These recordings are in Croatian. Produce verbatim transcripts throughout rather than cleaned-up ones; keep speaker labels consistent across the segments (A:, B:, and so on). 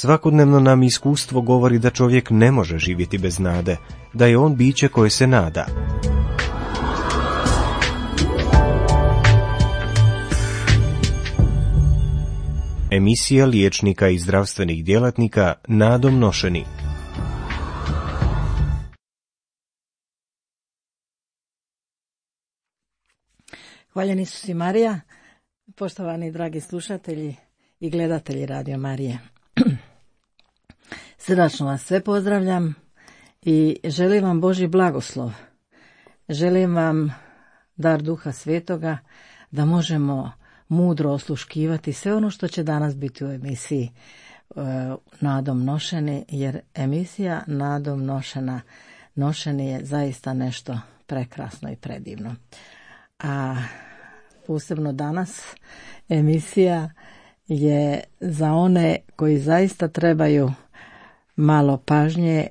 A: Svakodnevno nam iskustvo govori da čovjek ne može živjeti bez nade, da je on biće koje se nada. Emisija liječnika i zdravstvenih djelatnika nadom nošeni.
B: Hvaljeni Isus i Marija, poštovani dragi slušatelji i gledatelji Radio Marije. Srdačno vas sve pozdravljam i želim vam Božji blagoslov. Želim vam dar Duha Svetoga da možemo mudro osluškivati sve ono što će danas biti u emisiji e, Nadom nošeni, jer emisija Nadom nošena, nošeni je zaista nešto prekrasno i predivno. A posebno danas emisija je za one koji zaista trebaju malo pažnje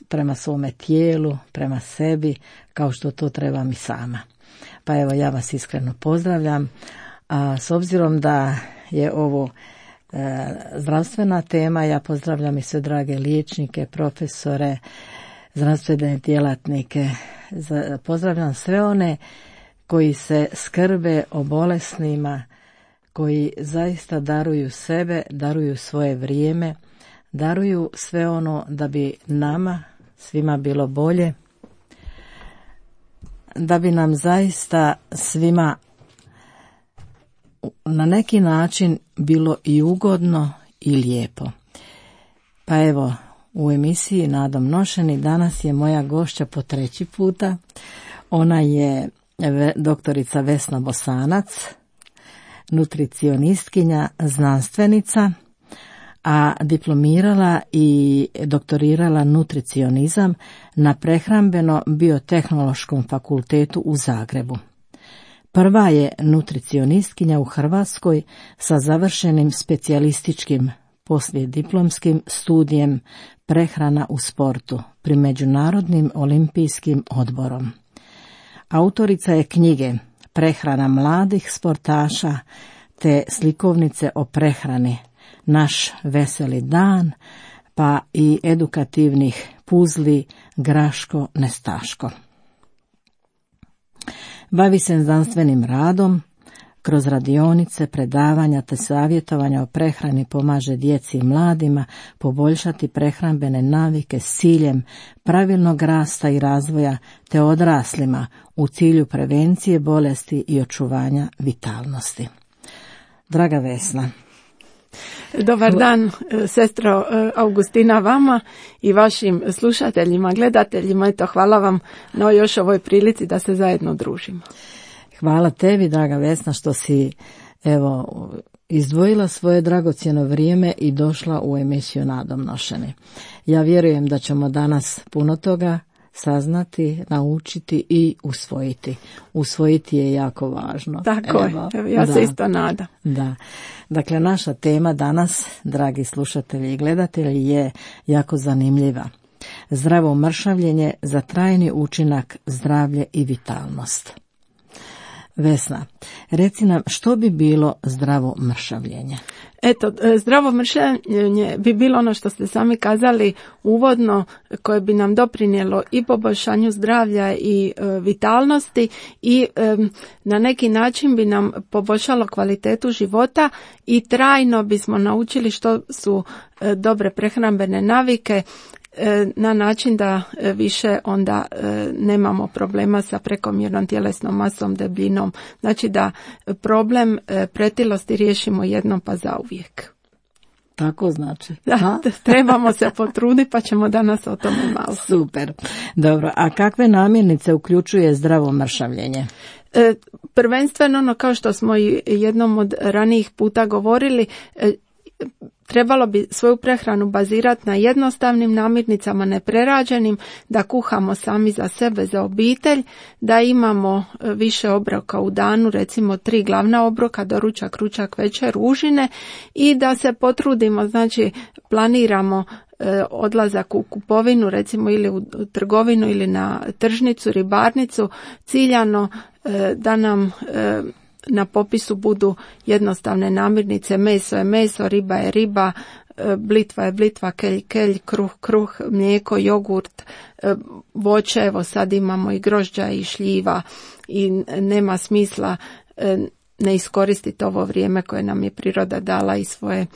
B: prema svome tijelu, prema sebi, kao što to trebam i sama. Pa evo, ja vas iskreno pozdravljam, a s obzirom da je ovo e, zdravstvena tema, ja pozdravljam i sve drage liječnike, profesore, zdravstvene djelatnike, za, pozdravljam sve one koji se skrbe o bolesnima, koji zaista daruju sebe, daruju svoje vrijeme, daruju sve ono da bi nama svima bilo bolje, da bi nam zaista svima na neki način bilo i ugodno i lijepo. Pa evo, u emisiji Nadom nošeni danas je moja gošća po treći puta. Ona je doktorica Vesna Bosanac, nutricionistkinja, znanstvenica, a diplomirala i doktorirala nutricionizam na Prehrambeno-biotehnološkom fakultetu u Zagrebu. Prva je nutricionistkinja u Hrvatskoj sa završenim specijalističkim poslijediplomskim studijem prehrana u sportu pri Međunarodnim olimpijskim odborom. Autorica je knjige Prehrana mladih sportaša te slikovnice o prehrani Naš veseli dan, pa i edukativnih puzli Graško nestaško. Bavi se znanstvenim radom, kroz radionice, predavanja te savjetovanja o prehrani pomaže djeci i mladima poboljšati prehrambene navike s ciljem pravilnog rasta i razvoja te odraslima u cilju prevencije bolesti i očuvanja vitalnosti. Draga Vesna.
C: Dobar dan, sestro Augustina, vama i vašim slušateljima, gledateljima. Eto, hvala vam na još ovoj prilici da se zajedno družimo.
B: Hvala tebi, draga Vesna, što si evo izdvojila svoje dragocjeno vrijeme i došla u emisiju Nadom nošeni. Ja vjerujem da ćemo danas puno toga saznati, naučiti i usvojiti. Usvojiti je jako važno.
C: Tako
B: evo,
C: je, evo, ja
B: da,
C: se isto nadam.
B: Da. Dakle, naša tema danas, dragi slušatelji i gledatelji, je jako zanimljiva. Zdravo mršavljenje za trajni učinak, zdravlje i vitalnost. Vesna, reci nam što bi bilo zdravo mršavljenje?
C: Eto, zdravo mršavljenje bi bilo ono što ste sami kazali uvodno, koje bi nam doprinijelo i poboljšanju zdravlja i e, vitalnosti i e, na neki način bi nam poboljšalo kvalitetu života i trajno bismo naučili što su e, dobre prehrambene navike, na način da više onda nemamo problema sa prekomjernom tjelesnom masom, debljinom. Znači da problem pretilosti riješimo jednom pa zauvijek.
B: Tako znači.
C: Da, trebamo se potruditi pa ćemo danas o tome malo.
B: Super. Dobro, a kakve namirnice uključuje zdravo mršavljenje?
C: E, prvenstveno, ono kao što smo i jednom od ranijih puta govorili, e, trebalo bi svoju prehranu bazirati na jednostavnim namirnicama, neprerađenim, da kuhamo sami za sebe, za obitelj, da imamo više obroka u danu, recimo tri glavna obroka, doručak, ručak, večer, užine, i da se potrudimo, znači planiramo e, odlazak u kupovinu, recimo ili u trgovinu ili na tržnicu, ribarnicu, ciljano e, da nam e, na popisu budu jednostavne namirnice, meso je meso, riba je riba, blitva je blitva, kelj, kelj, kruh, kruh, mlijeko, jogurt, voće, evo sad imamo i grožđa i šljiva i nema smisla ne iskoristiti ovo vrijeme koje nam je priroda dala i svoje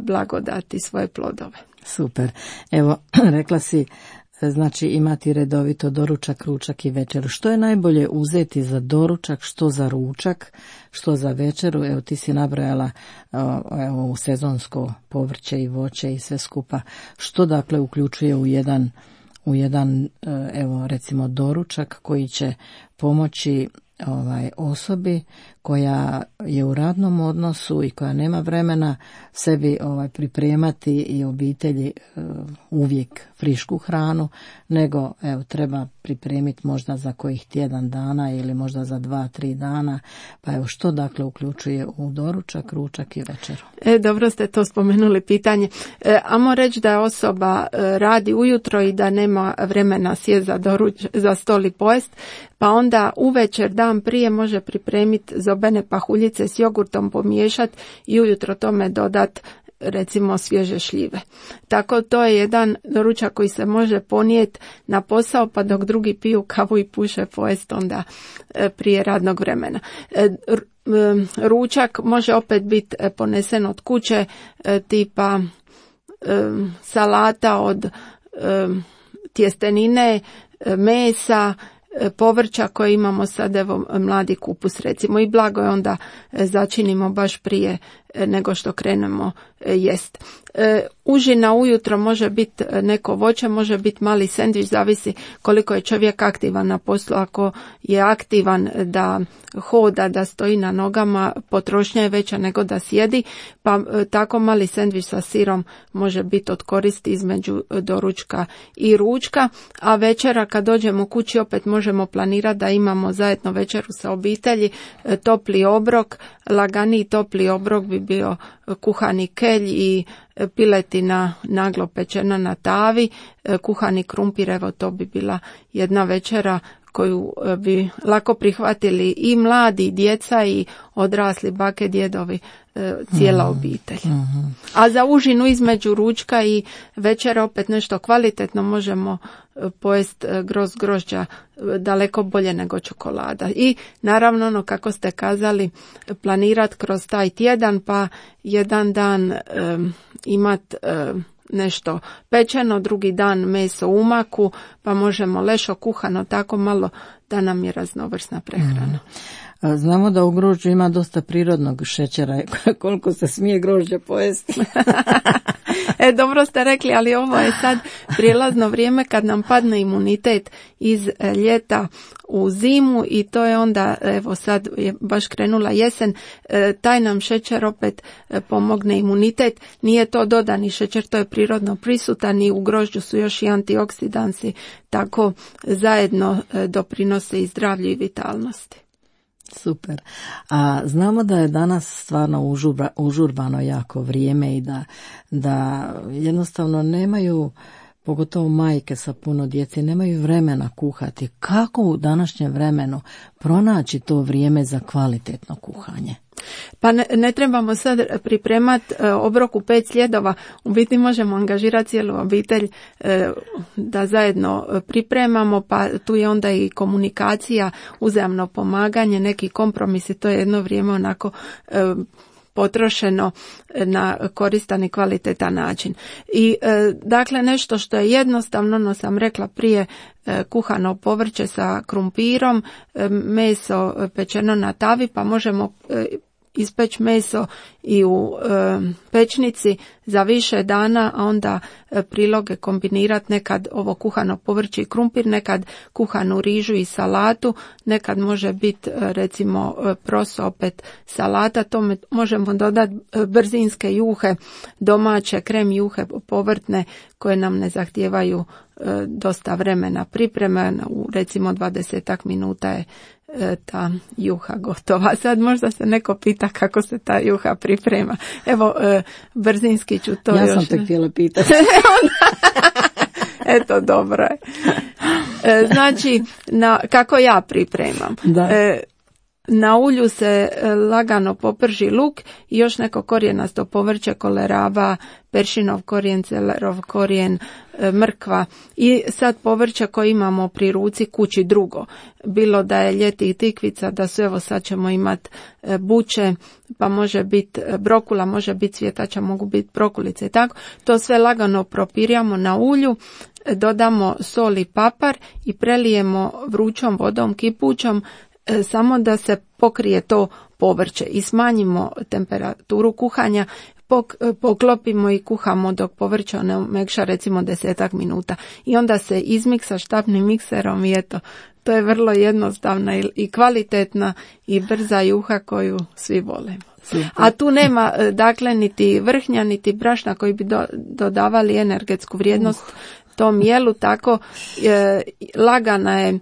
C: blagodati, svoje plodove.
B: Super. Evo, rekla si, znači imati redovito doručak, ručak i večeru. Što je najbolje uzeti za doručak, što za ručak, što za večeru? Evo ti si nabrojala evo, u sezonsko povrće i voće i sve skupa. Što dakle uključuje u jedan, u jedan evo recimo doručak koji će pomoći ovaj osobi koja je u radnom odnosu i koja nema vremena sebi ovaj pripremati i obitelji uh, uvijek frišku hranu, nego evo treba pripremiti možda za kojih tjedan dana ili možda za dva, tri dana. Pa evo što dakle uključuje u doručak, ručak i večeru?
C: E, dobro ste to spomenuli pitanje. E, amo reći da osoba e, radi ujutro i da nema vremena sjest za, doruč, za stol i pojest, pa onda uvečer dan prije može pripremiti zobene pahuljice s jogurtom, pomiješati i ujutro tome dodat recimo svježe šljive. Tako to je jedan doručak koji se može ponijeti na posao, pa dok drugi piju kavu i puše pojest onda prije radnog vremena. Ručak može opet biti ponesen od kuće, tipa salata od tjestenine, mesa, povrća koje imamo sad, evo mladi kupus recimo, i blago je onda začinimo baš prije nego što krenemo jest. E, užina ujutro može biti neko voće, može biti mali sendvič, zavisi koliko je čovjek aktivan na poslu. Ako je aktivan da hoda, da stoji na nogama, potrošnja je veća nego da sjedi, pa e, tako mali sendvič sa sirom može biti od koristi između doručka i ručka, a večera kad dođemo kući opet možemo planirati da imamo zajedno večeru sa obitelji, e, topli obrok, laganiji topli obrok bi bio kuhani kelj i piletina naglo pečena na tavi, kuhani krumpir, evo to bi bila jedna večera koju bi lako prihvatili i mladi, i djeca i odrasli, bake, djedovi, cijela obitelj. Mm-hmm. A za užinu između ručka i večera opet nešto kvalitetno možemo pojest groz grožđa daleko bolje nego čokolada. I naravno ono kako ste kazali, planirati kroz taj tjedan, pa jedan dan um, imat um, nešto pečeno, drugi dan meso u maku, pa možemo lešo kuhano, tako malo da nam je raznovrsna prehrana.
B: Mm. Znamo da u grožđu ima dosta prirodnog šećera, koliko se smije grožđe pojesti.
C: E, dobro ste rekli, ali ovo je sad prijelazno vrijeme kad nam padne imunitet iz ljeta u zimu i to je onda, evo sad je baš krenula jesen, taj nam šećer opet pomogne imunitet. Nije to dodani šećer, to je prirodno prisutan i u grožđu su još i antioksidansi, tako zajedno doprinose i zdravlju i vitalnosti.
B: Super. A znamo da je danas stvarno užurba, užurbano jako vrijeme i da, da jednostavno nemaju, pogotovo majke sa puno djece, nemaju vremena kuhati. Kako u današnjem vremenu pronaći to vrijeme za kvalitetno kuhanje?
C: Pa ne, ne trebamo sad pripremati e, obrok u pet sljedova, u biti možemo angažirati cijelu obitelj e, da zajedno pripremamo, pa tu je onda i komunikacija, uzajamno pomaganje, neki kompromisi, to je jedno vrijeme onako e, potrošeno na koristan i kvalitetan način. I e, dakle nešto što je jednostavno, no sam rekla prije, e, kuhano povrće sa krumpirom, e, meso pečeno na tavi, pa možemo e, ispeći meso i u e, pečnici za više dana, a onda e, priloge kombinirati, nekad ovo kuhano povrće i krumpir, nekad kuhanu rižu i salatu, nekad može biti e, recimo e, proso opet salata, tome možemo dodati e, brzinske juhe, domaće krem juhe povrtne koje nam ne zahtijevaju e, dosta vremena pripreme, u recimo dvadesetak minuta je ta juha gotova. Sad možda se neko pita kako se ta juha priprema. Evo, e, brzinski ću to
B: ja
C: još...
B: Ja sam te htjela pitati.
C: Eto, dobro je. E, znači, na, kako ja pripremam?
B: Da.
C: E, Na ulju se lagano poprži luk i još neko korijenasto povrće, koleraba, peršinov korijen, celerov korijen, mrkva i sad povrće koje imamo pri ruci kući drugo. Bilo da je ljeti i tikvica, da su evo sad ćemo imati buće, pa može biti brokula, može biti cvjetača, mogu biti brokulice i tako. To sve lagano propirjamo na ulju, dodamo sol i papar i prelijemo vrućom vodom kipućom samo da se pokrije to povrće i smanjimo temperaturu kuhanja, poklopimo i kuhamo dok povrće ne umekša recimo desetak minuta i onda se izmiksa štapnim mikserom i eto, to je vrlo jednostavna i kvalitetna i brza juha koju svi volimo. A tu nema dakle niti vrhnja niti brašna koji bi do, dodavali energetsku vrijednost uh. tom jelu, tako e, lagana je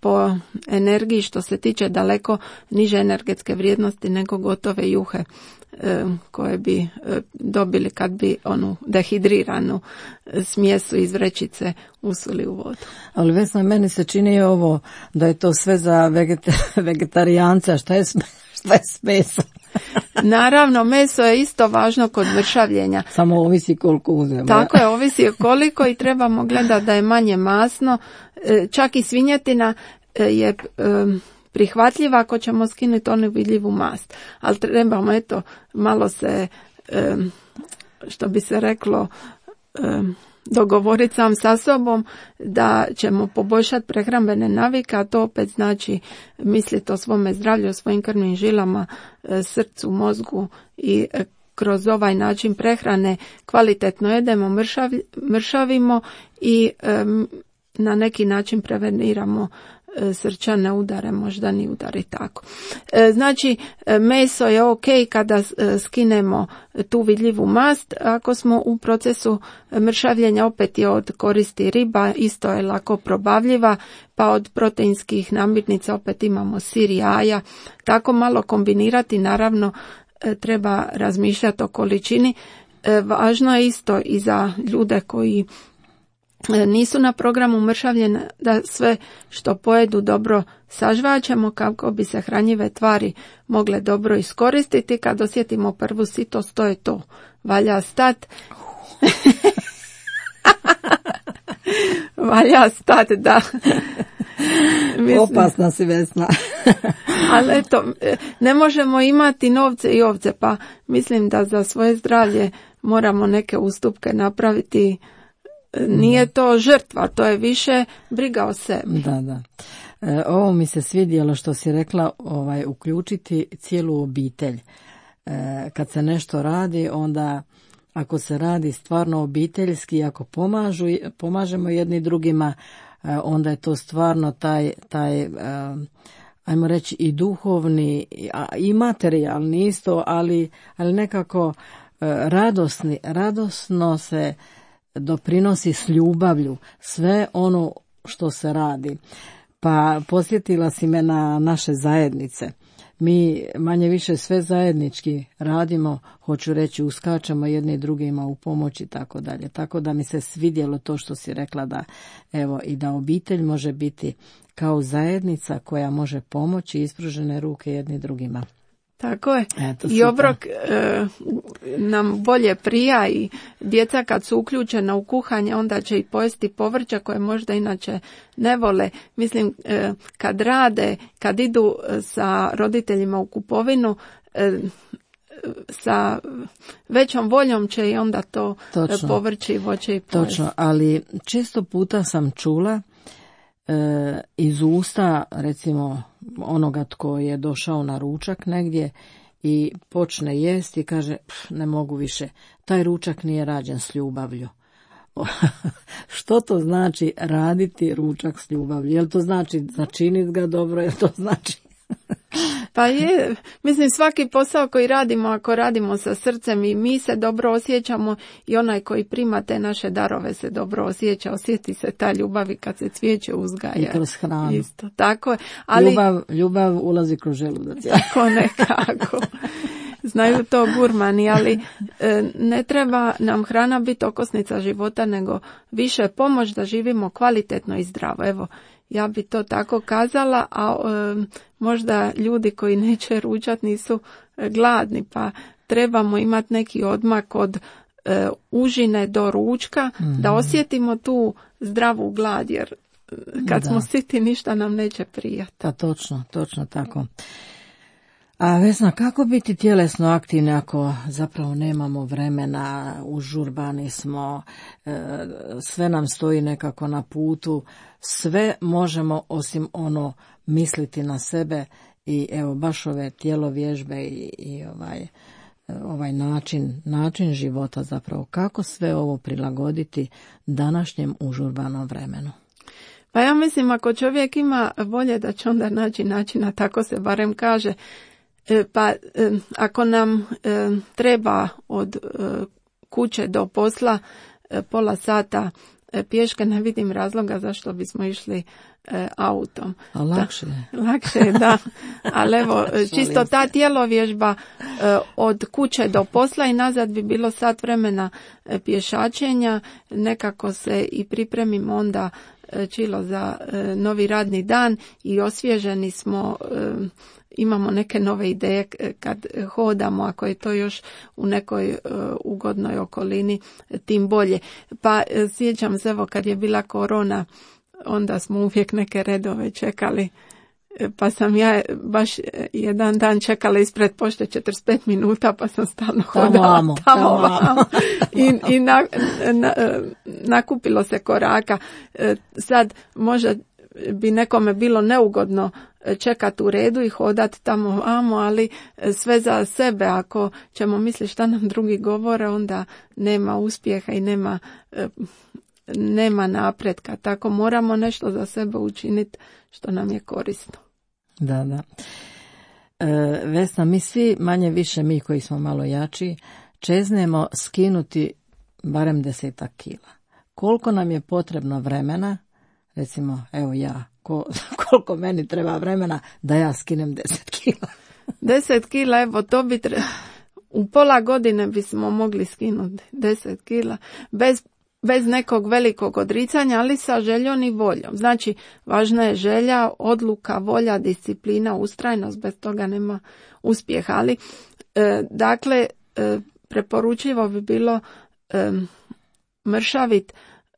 C: po energiji što se tiče daleko niže energetske vrijednosti nego gotove juhe koje bi dobili kad bi onu dehidriranu smjesu iz vrećice usuli u vodu.
B: Ali Vesna, meni se čini ovo da je to sve za veget- vegetarijanca, šta je, šta je s mesom?
C: Naravno, meso je isto važno kod mršavljenja.
B: Samo ovisi koliko uzmemo.
C: Tako je, ovisi koliko i trebamo gledati da je manje masno. Čak i svinjetina je prihvatljiva ako ćemo skinuti onu vidljivu mast. Ali trebamo, eto, malo se, što bi se reklo, dogovoriti sam sa sobom da ćemo poboljšati prehrambene navike, a to opet znači misliti o svome zdravlju, o svojim krvnim žilama, srcu, mozgu i kroz ovaj način prehrane kvalitetno jedemo, mršavi, mršavimo i um, na neki način preveniramo srčane udare, moždani udar i tako. Znači, meso je ok kada skinemo tu vidljivu mast. Ako smo u procesu mršavljenja, opet je od koristi riba, isto je lako probavljiva, pa od proteinskih namirnica opet imamo sir i jaja. Tako malo kombinirati, naravno treba razmišljati o količini. Važno je isto i za ljude koji nisu na programu mršavljenja da sve što pojedu dobro sažvaćemo kako bi se hranjive tvari mogle dobro iskoristiti. Kad osjetimo prvu sitost, to je to. Valja stat. Valja stat, da.
B: Mislim, opasna si, Vesna.
C: Ali eto, ne možemo imati novce i ovce, pa mislim da za svoje zdravlje moramo neke ustupke napraviti. Nije to žrtva, to je više briga o sebi.
B: Da, da. E, ovo mi se svidjelo što si rekla, ovaj, uključiti cijelu obitelj. E, kad se nešto radi, onda ako se radi stvarno obiteljski, ako pomažu, pomažemo jedni drugima, e, onda je to stvarno taj, taj e, ajmo reći i duhovni i materijalni isto, ali, ali nekako e, radosni, radosno se doprinosi s ljubavlju sve ono što se radi. Pa posjetila si me na naše zajednice. Mi manje više sve zajednički radimo, hoću reći uskačemo jedni drugima u pomoć i tako dalje. Tako da mi se svidjelo to što si rekla da evo i da obitelj može biti kao zajednica koja može pomoći ispružene ruke jedni drugima.
C: Tako je. Eto, i obrok e, nam bolje prija i djeca kad su uključena u kuhanje onda će i pojesti povrća koje možda inače ne vole. Mislim, e, kad rade, kad idu sa roditeljima u kupovinu, e, sa većom voljom će i onda to Točno. povrće i voće i pojesti.
B: Točno, ali često puta sam čula e, iz usta, recimo, onoga tko je došao na ručak negdje i počne jesti i kaže ne mogu više, taj ručak nije rađen s ljubavlju. Što to znači raditi ručak s ljubavlju? Jel to znači začiniti ga dobro, jel to znači?
C: Pa je, mislim svaki posao koji radimo, ako radimo sa srcem i mi se dobro osjećamo i onaj koji prima te naše darove se dobro osjeća, osjeti se ta ljubav i kad se cvijeće uzgaja.
B: I kroz hranu.
C: Isto, tako je. Ali,
B: ljubav, ljubav ulazi kroz želudac.
C: Tako nekako. Znaju to gurmani, ali e, ne treba nam hrana biti okosnica života, nego više pomoć da živimo kvalitetno i zdravo. Evo, Ja bi to tako kazala, a e, možda ljudi koji neće ručat nisu gladni, pa trebamo imati neki odmak od e, užine do ručka, mm. da osjetimo tu zdravu glad, jer kad da. smo siti ništa nam neće prijati.
B: Da, točno, točno tako. A Vesna, kako biti tjelesno aktivni ako zapravo nemamo vremena, užurbani smo, e, sve nam stoji nekako na putu, sve možemo osim ono misliti na sebe i evo baš ove tjelovježbe i, i ovaj, ovaj način, način života zapravo, kako sve ovo prilagoditi današnjem užurbanom vremenu?
C: Pa ja mislim ako čovjek ima volje da će onda naći načina, tako se barem kaže. Pa ako nam treba od kuće do posla pola sata pješke, ne vidim razloga zašto bismo išli autom.
B: A lakše je.
C: Da, lakše je, da. Ali evo, čisto ta tjelovježba od kuće do posla i nazad bi bilo sat vremena pješačenja. Nekako se i pripremimo onda čilo za novi radni dan i osvježeni smo, imamo neke nove ideje kad hodamo, ako je to još u nekoj ugodnoj okolini, tim bolje. Pa sjećam se, evo kad je bila korona, onda smo uvijek neke redove čekali, pa sam ja baš jedan dan čekala ispred pošte četrdeset pet minuta, pa sam stalno hodala tamo, tamo vamo. I, i na, na, nakupilo se koraka. Sad možda bi nekome bilo neugodno čekati u redu i hodati tamo vamo, ali sve za sebe. Ako ćemo misliti šta nam drugi govore, onda nema uspjeha i nema nema napretka. Tako moramo nešto za sebe učiniti što nam je korisno.
B: Da, da. E, Vesna, mi svi, manje više mi koji smo malo jači, čeznemo skinuti barem desetak kila. Koliko nam je potrebno vremena, recimo, evo ja, ko, koliko meni treba vremena da ja skinem deset kila?
C: Deset kila, evo to bi treba, u pola godine bismo mogli skinuti deset kila, bez bez nekog velikog odricanja, ali sa željom i voljom. Znači, važna je želja, odluka, volja, disciplina, ustrajnost, bez toga nema uspjeha. Ali, e, dakle, e, preporučivo bi bilo e, mršavit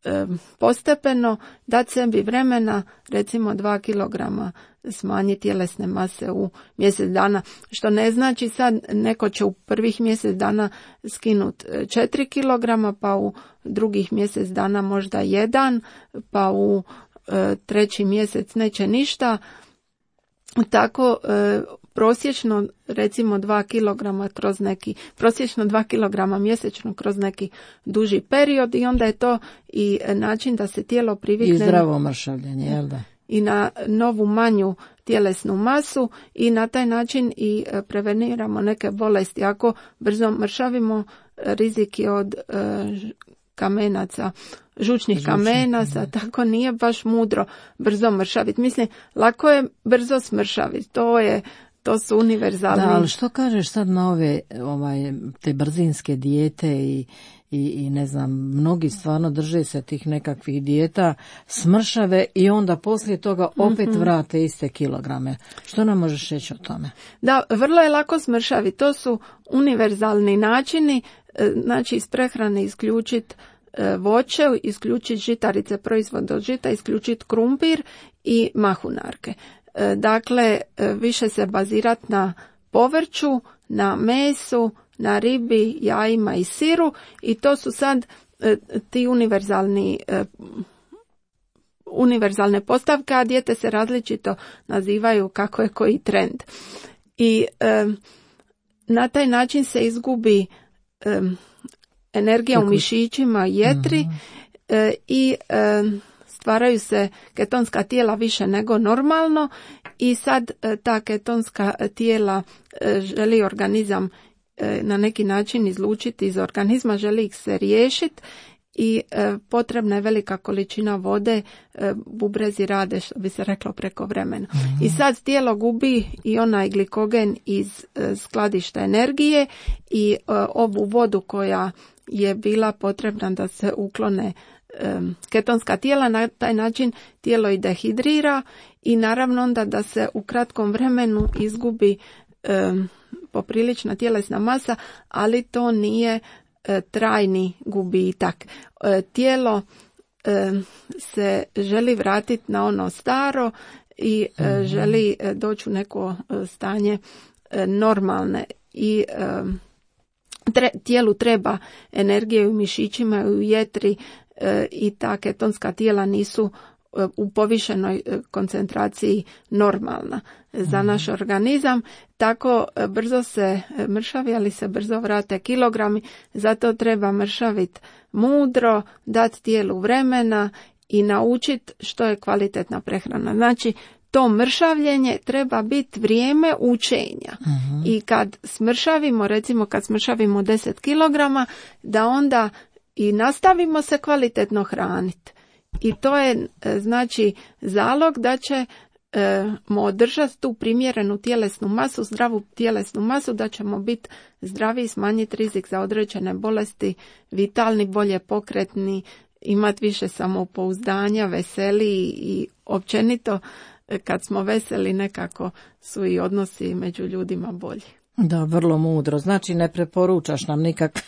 C: e, postepeno, dati sebi vremena, recimo dva kilograma smanjiti tjelesne mase u mjesec dana, što ne znači sad neko će u prvih mjesec dana skinuti četiri kilograma, pa u drugih mjesec dana možda jedan, pa u e, treći mjesec neće ništa. Tako e, prosječno recimo dva kilograma kroz neki, prosječno dva kilograma mjesečno kroz neki duži period i onda je to i način da se tijelo privikne.
B: I zdravo mršavljenje, jel da?
C: I na novu manju tjelesnu masu i na taj način i preveniramo neke bolesti. Ako brzo mršavimo, rizik je od e, kamenaca, žučnih Žučni, kamenaca, ne. Tako nije baš mudro brzo mršaviti. Mislim, lako je brzo smršaviti, to je to su univerzalni.
B: Da, ali što kažeš sad na ove ovaj, te brzinske dijete i, i, i ne znam, mnogi stvarno drže se tih nekakvih dijeta, smršave i onda poslije toga opet mm-hmm. vrate iste kilograme. Što nam možeš reći o tome?
C: Da, vrlo je lako smršaviti. To su univerzalni načini, znači iz prehrane isključiti voće, isključiti žitarice, proizvod od žita, isključiti krumpir i mahunarke. Dakle, više se bazirati na povrću, na mesu, na ribi, jajima i siru i to su sad ti univerzalni univerzalne postavke, a dijete se različito nazivaju kako je koji trend. I e, na taj način se izgubi e, energija u mišićima, jetri mm-hmm. e, i e, stvaraju se ketonska tijela više nego normalno i sad e, ta ketonska tijela e, želi organizam e, na neki način izlučiti iz organizma, želi ih se riješiti i e, potrebna je velika količina vode, e, bubrezi rade, što bi se reklo, preko vremena. Mm-hmm. I sad tijelo gubi i onaj glikogen iz e, skladišta energije i e, ovu vodu koja je bila potrebna da se uklone ketonska tijela, na taj način tijelo i dehidrira i naravno onda da se u kratkom vremenu izgubi um, poprilična tjelesna masa, ali to nije uh, trajni gubitak. Uh, tijelo uh, se želi vratiti na ono staro i uh, mm-hmm. želi uh, doći u neko uh, stanje uh, normalne i uh, tre, tijelu treba energije u mišićima i u jetri i ta ketonska tijela nisu u povišenoj koncentraciji normalna za naš organizam. Tako brzo se mršavi, ali se brzo vrate kilogrami, zato treba mršaviti mudro, dati tijelu vremena i naučiti što je kvalitetna prehrana. Znači, to mršavljenje treba biti vrijeme učenja. Uh-huh. I kad smršavimo, recimo kad smršavimo deset kilograma, da onda i nastavimo se kvalitetno hraniti. I to je znači zalog da ćemo održati tu primjerenu tjelesnu masu, zdravu tjelesnu masu, da ćemo biti zdravi i smanjiti rizik za određene bolesti, vitalni, bolje pokretni, imati više samopouzdanja, veseliji i općenito kad smo veseli nekako su i odnosi među ljudima bolji.
B: Da, vrlo mudro. Znači ne preporučaš nam nikakve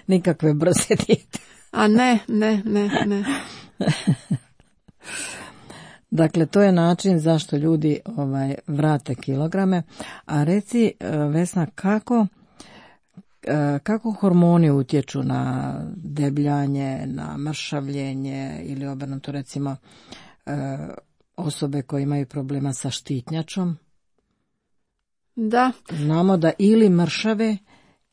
B: nikakve brze dijete.
C: A ne, ne, ne, ne.
B: Dakle, to je način zašto ljudi ovaj vrate kilograme. A reci, Vesna, kako, kako hormoni utječu na debljanje, na mršavljenje ili obrnuto recimo osobe koje imaju problema sa štitnjačom?
C: Da.
B: Znamo da ili mršave,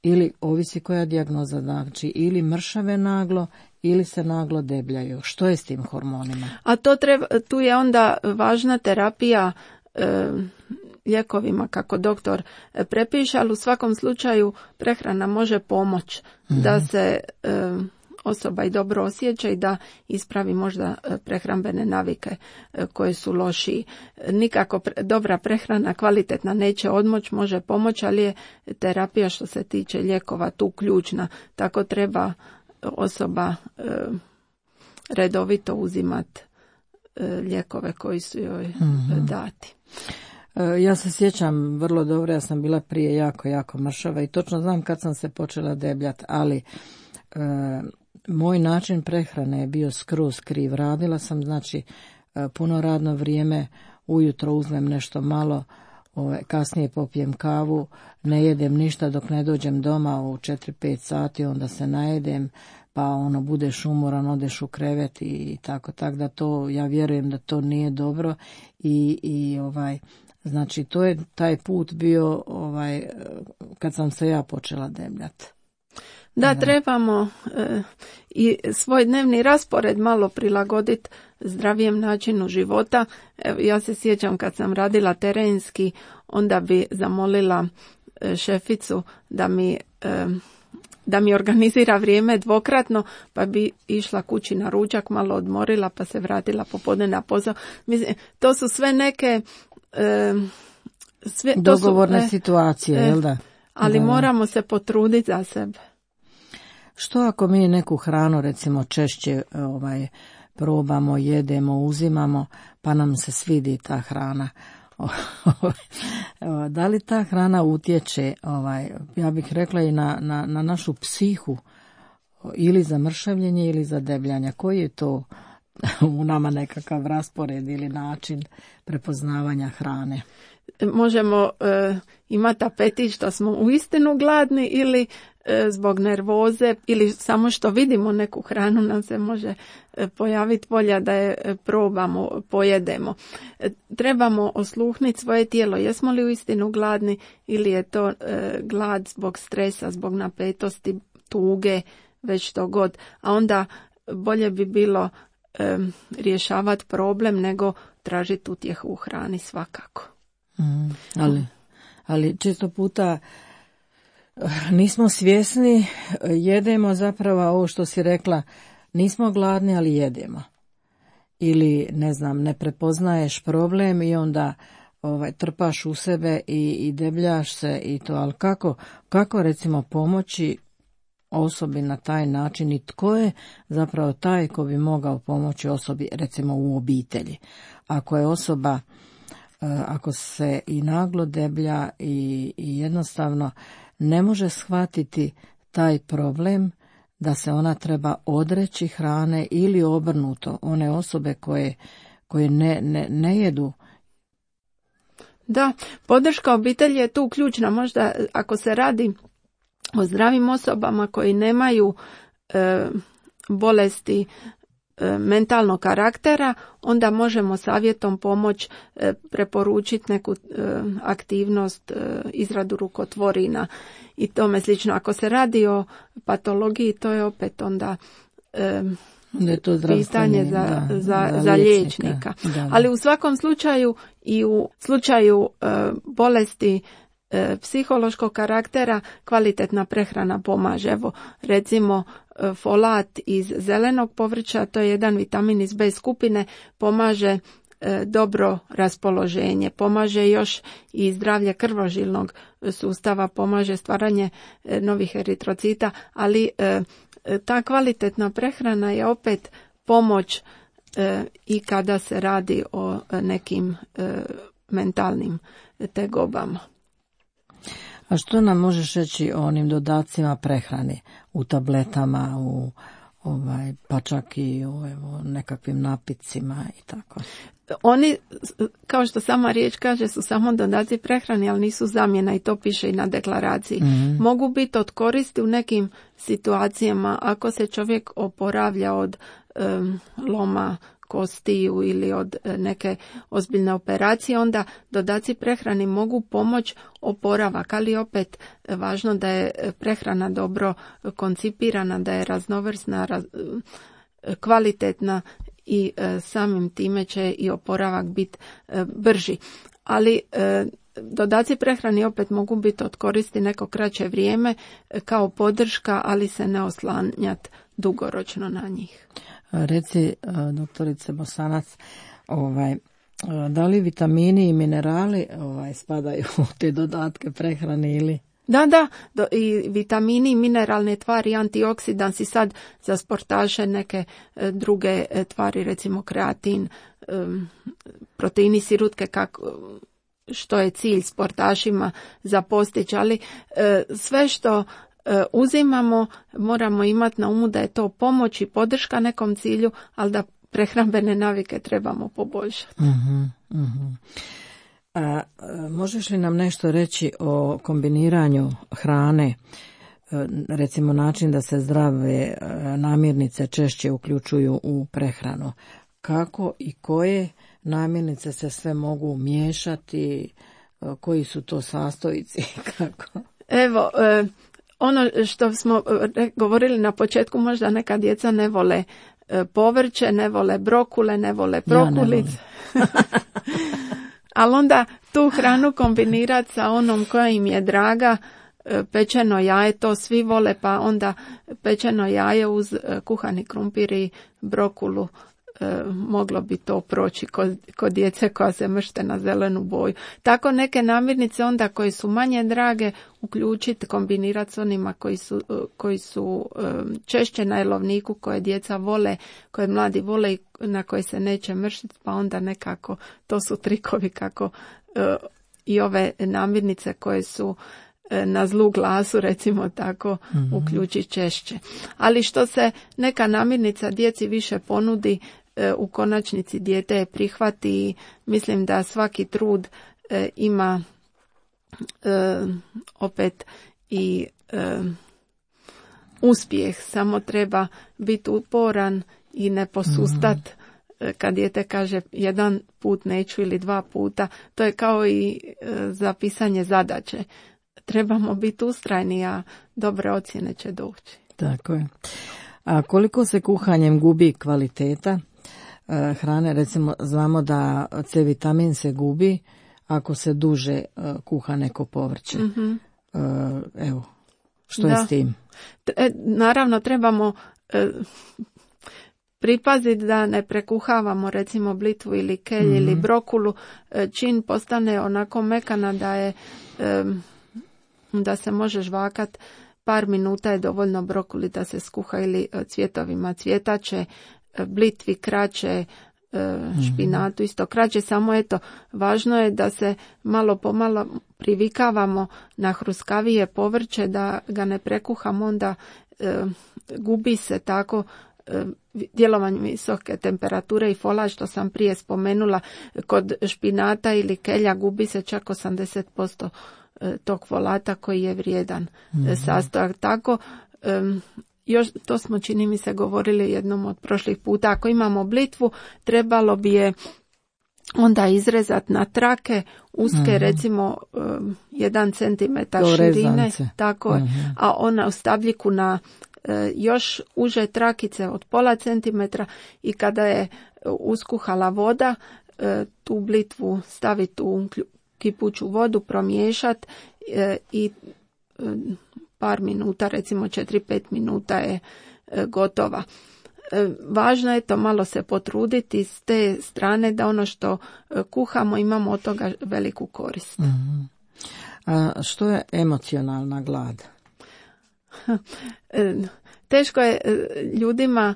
B: ili ovisi koja dijagnoza, znači ili mršave naglo ili se naglo debljaju. Što je s tim hormonima?
C: A to treba, tu je onda važna terapija e, lijekovima kako doktor prepiše, ali u svakom slučaju prehrana može pomoći mm-hmm. da se e, osoba i dobro osjeća i da ispravi možda prehrambene navike koje su lošiji. Nikako pre, dobra prehrana, kvalitetna, neće odmoć, može pomoći, ali je terapija što se tiče lijekova tu ključna. Tako treba osoba e, redovito uzimati e, lijekove koji su joj mm-hmm. dati.
B: Ja se sjećam vrlo dobro, ja sam bila prije jako, jako mršava i točno znam kad sam se počela debljati, ali e, moj način prehrane je bio skroz kriv. Radila sam, znači, puno radno vrijeme, ujutro uzmem nešto malo, ove, kasnije popijem kavu, ne jedem ništa dok ne dođem doma u četiri pet sati, onda se najedem, pa ono budeš umoran, odeš u krevet i tako, tako da to, ja vjerujem da to nije dobro i, i ovaj, znači to je taj put bio ovaj, kad sam se ja počela debljati.
C: Da, trebamo e, i svoj dnevni raspored malo prilagoditi zdravijem načinu života. Evo, ja se sjećam kad sam radila terenski, onda bi zamolila e, šeficu da mi, e, da mi organizira vrijeme dvokratno, pa bi išla kući na ručak, malo odmorila, pa se vratila popodne na posao. Mislim, to su sve neke e, sve,
B: dogovorne
C: to su, e,
B: situacije,
C: e,
B: jel da?
C: Ali
B: da.
C: Moramo se potruditi za sebe.
B: Što ako mi neku hranu recimo češće ovaj, probamo, jedemo, uzimamo, pa nam se svidi ta hrana? Da li ta hrana utječe, ovaj, ja bih rekla i na, na, na našu psihu, ili za mršavljenje ili za debljanje? Koji je to u nama nekakav raspored ili način prepoznavanja hrane?
C: Možemo e, imati apetit što smo uistinu gladni ili e, zbog nervoze ili samo što vidimo neku hranu nam se može e, pojaviti volja da je e, probamo, pojedemo. E, trebamo osluhniti svoje tijelo, jesmo li uistinu gladni ili je to e, glad zbog stresa, zbog napetosti, tuge, već to god. A onda bolje bi bilo e, rješavati problem nego tražiti utjehu u hrani svakako.
B: Mm, ali, ali često puta nismo svjesni, jedemo zapravo ovo što si rekla, nismo gladni, ali jedemo. Ili, ne znam, ne prepoznaješ problem i onda ovaj, trpaš u sebe i, i debljaš se i to, ali kako, kako recimo pomoći osobi na taj način i tko je zapravo taj ko bi mogao pomoći osobi, recimo u obitelji. Ako je osoba, ako se i naglo deblja i, i jednostavno ne može shvatiti taj problem da se ona treba odreći hrane ili obrnuto, one osobe koje, koje ne, ne, ne jedu.
C: Da, podrška obitelji je tu ključna. Možda ako se radi o zdravim osobama koji nemaju e, bolesti e, mentalnog karaktera, onda možemo savjetom pomoć e, preporučiti neku e, aktivnost, e, izradu rukotvorina i tome slično. Ako se radi o patologiji, to je opet onda e,
B: je to
C: pitanje za,
B: da,
C: za,
B: za,
C: za
B: liječnika.
C: liječnika.
B: Da, da.
C: Ali u svakom slučaju i u slučaju e, bolesti e, psihološkog karaktera kvalitetna prehrana pomaže. Evo, recimo e, folat iz zelenog povrća, to je jedan vitamin iz B skupine, pomaže e, dobro raspoloženje, pomaže još i zdravlje krvožilnog sustava, pomaže stvaranje e, novih eritrocita, ali e, ta kvalitetna prehrana je opet pomoć e, i kada se radi o nekim e, mentalnim tegobama.
B: A što nam možeš reći o onim dodacima prehrani u tabletama, u ovaj, pa čak i u evo, nekakvim napitcima i tako?
C: Oni, kao što sama riječ kaže, su samo dodaci prehrani, ali nisu zamjena i to piše i na deklaraciji. Mm-hmm. Mogu biti od koristi u nekim situacijama ako se čovjek oporavlja od um, loma kostiju ili od neke ozbiljne operacije, onda dodaci prehrani mogu pomoći oporavak, ali opet važno da je prehrana dobro koncipirana, da je raznovrsna, raz, kvalitetna i e, samim time će i oporavak biti e, brži. Ali e, dodaci prehrani opet mogu biti od koristi neko kraće vrijeme e, kao podrška, ali se ne oslanjati dugoročno na njih.
B: Reci, e, doktorice Bosanac, ovaj, e, da li vitamini i minerali ovaj, spadaju u te dodatke prehrane ili...
C: Da, da, do, i vitamini, mineralne tvari, antioksidansi, sad za sportaše neke e, druge e, tvari, recimo kreatin, e, proteini sirutke, kako, što je cilj sportašima za postići, ali e, sve što e, uzimamo moramo imati na umu da je to pomoć i podrška nekom cilju, ali da prehrambene navike trebamo poboljšati.
B: Uh-huh, uh-huh. A možeš li nam nešto reći o kombiniranju hrane, recimo način da se zdrave namirnice češće uključuju u prehranu? Kako i koje namirnice se sve mogu miješati, koji su to sastojci? Kako?
C: Evo, ono što smo govorili na početku, možda neka djeca ne vole povrće, ne vole brokule, ne vole prokulice. Ja ali onda tu hranu kombinirati sa onom koja im je draga, pečeno jaje, to svi vole, pa onda pečeno jaje uz kuhani krumpir i brokulu, moglo bi to proći kod, kod djece koja se mršte na zelenu boju. Tako neke namirnice onda koje su manje drage uključiti, kombinirati s onima koji su, koji su češće na jelovniku, koje djeca vole, koje mladi vole i na koje se neće mrštiti, pa onda nekako to su trikovi kako i ove namirnice koje su na zlu glasu, recimo tako, mm-hmm. uključiti češće. Ali što se neka namirnica djeci više ponudi, u konačnici dijete je prihvati i mislim da svaki trud e, ima e, opet i e, uspjeh, samo treba biti uporan i ne posustat mm-hmm. kad dijete kaže jedan put neću ili dva puta. To je kao i e, za pisanje zadaće. Trebamo biti ustrajni, a dobre ocjene će doći.
B: Tako je. A koliko se kuhanjem gubi kvaliteta e, hrane? Recimo, znamo da C vitamin se gubi ako se duže e, kuha neko povrće. Mm-hmm. E, evo, što da. je s tim?
C: E, naravno, trebamo e, pripaziti da ne prekuhavamo recimo blitvu ili kelj mm-hmm. ili brokulu. E, čin postane onako mekana da je... E, da se može žvakat par minuta je dovoljno brokuli da se skuha ili cvjetovima cvjetače, blitvi kraće, špinatu isto kraće, samo eto, važno je da se malo pomalo privikavamo na hruskavije povrće, da ga ne prekuhamo, onda e, gubi se tako e, djelovanje visoke temperature i fola, što sam prije spomenula. Kod špinata ili kelja gubi se čak osamdeset posto tog folata koji je vrijedan mm-hmm. sastojak. Tako, e, još to smo, čini mi se, govorili jednom od prošlih puta. Ako imamo blitvu, trebalo bi je onda izrezati na trake, uske, mm-hmm. recimo um, jedan centimetar
B: to
C: širine,
B: rezance.
C: Tako mm-hmm. a ona u stabljiku na uh, još uže trakice od pola centimetra, i kada je uskuhala voda, uh, tu blitvu staviti u kipuću vodu, promiješati uh, i uh, par minuta, recimo četiri pet minuta je uh, gotova. Važno je to malo se potruditi s te strane da ono što kuhamo imamo od toga veliku korist.
B: Mm-hmm. A što je emocionalna glad?
C: Teško je ljudima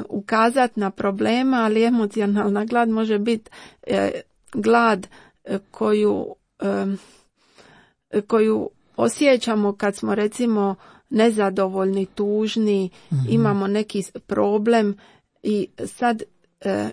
C: ukazati na problema, ali emocionalna glad može biti glad koju, koju osjećamo kad smo, recimo, nezadovoljni, tužni, mm-hmm. imamo neki problem i sad e,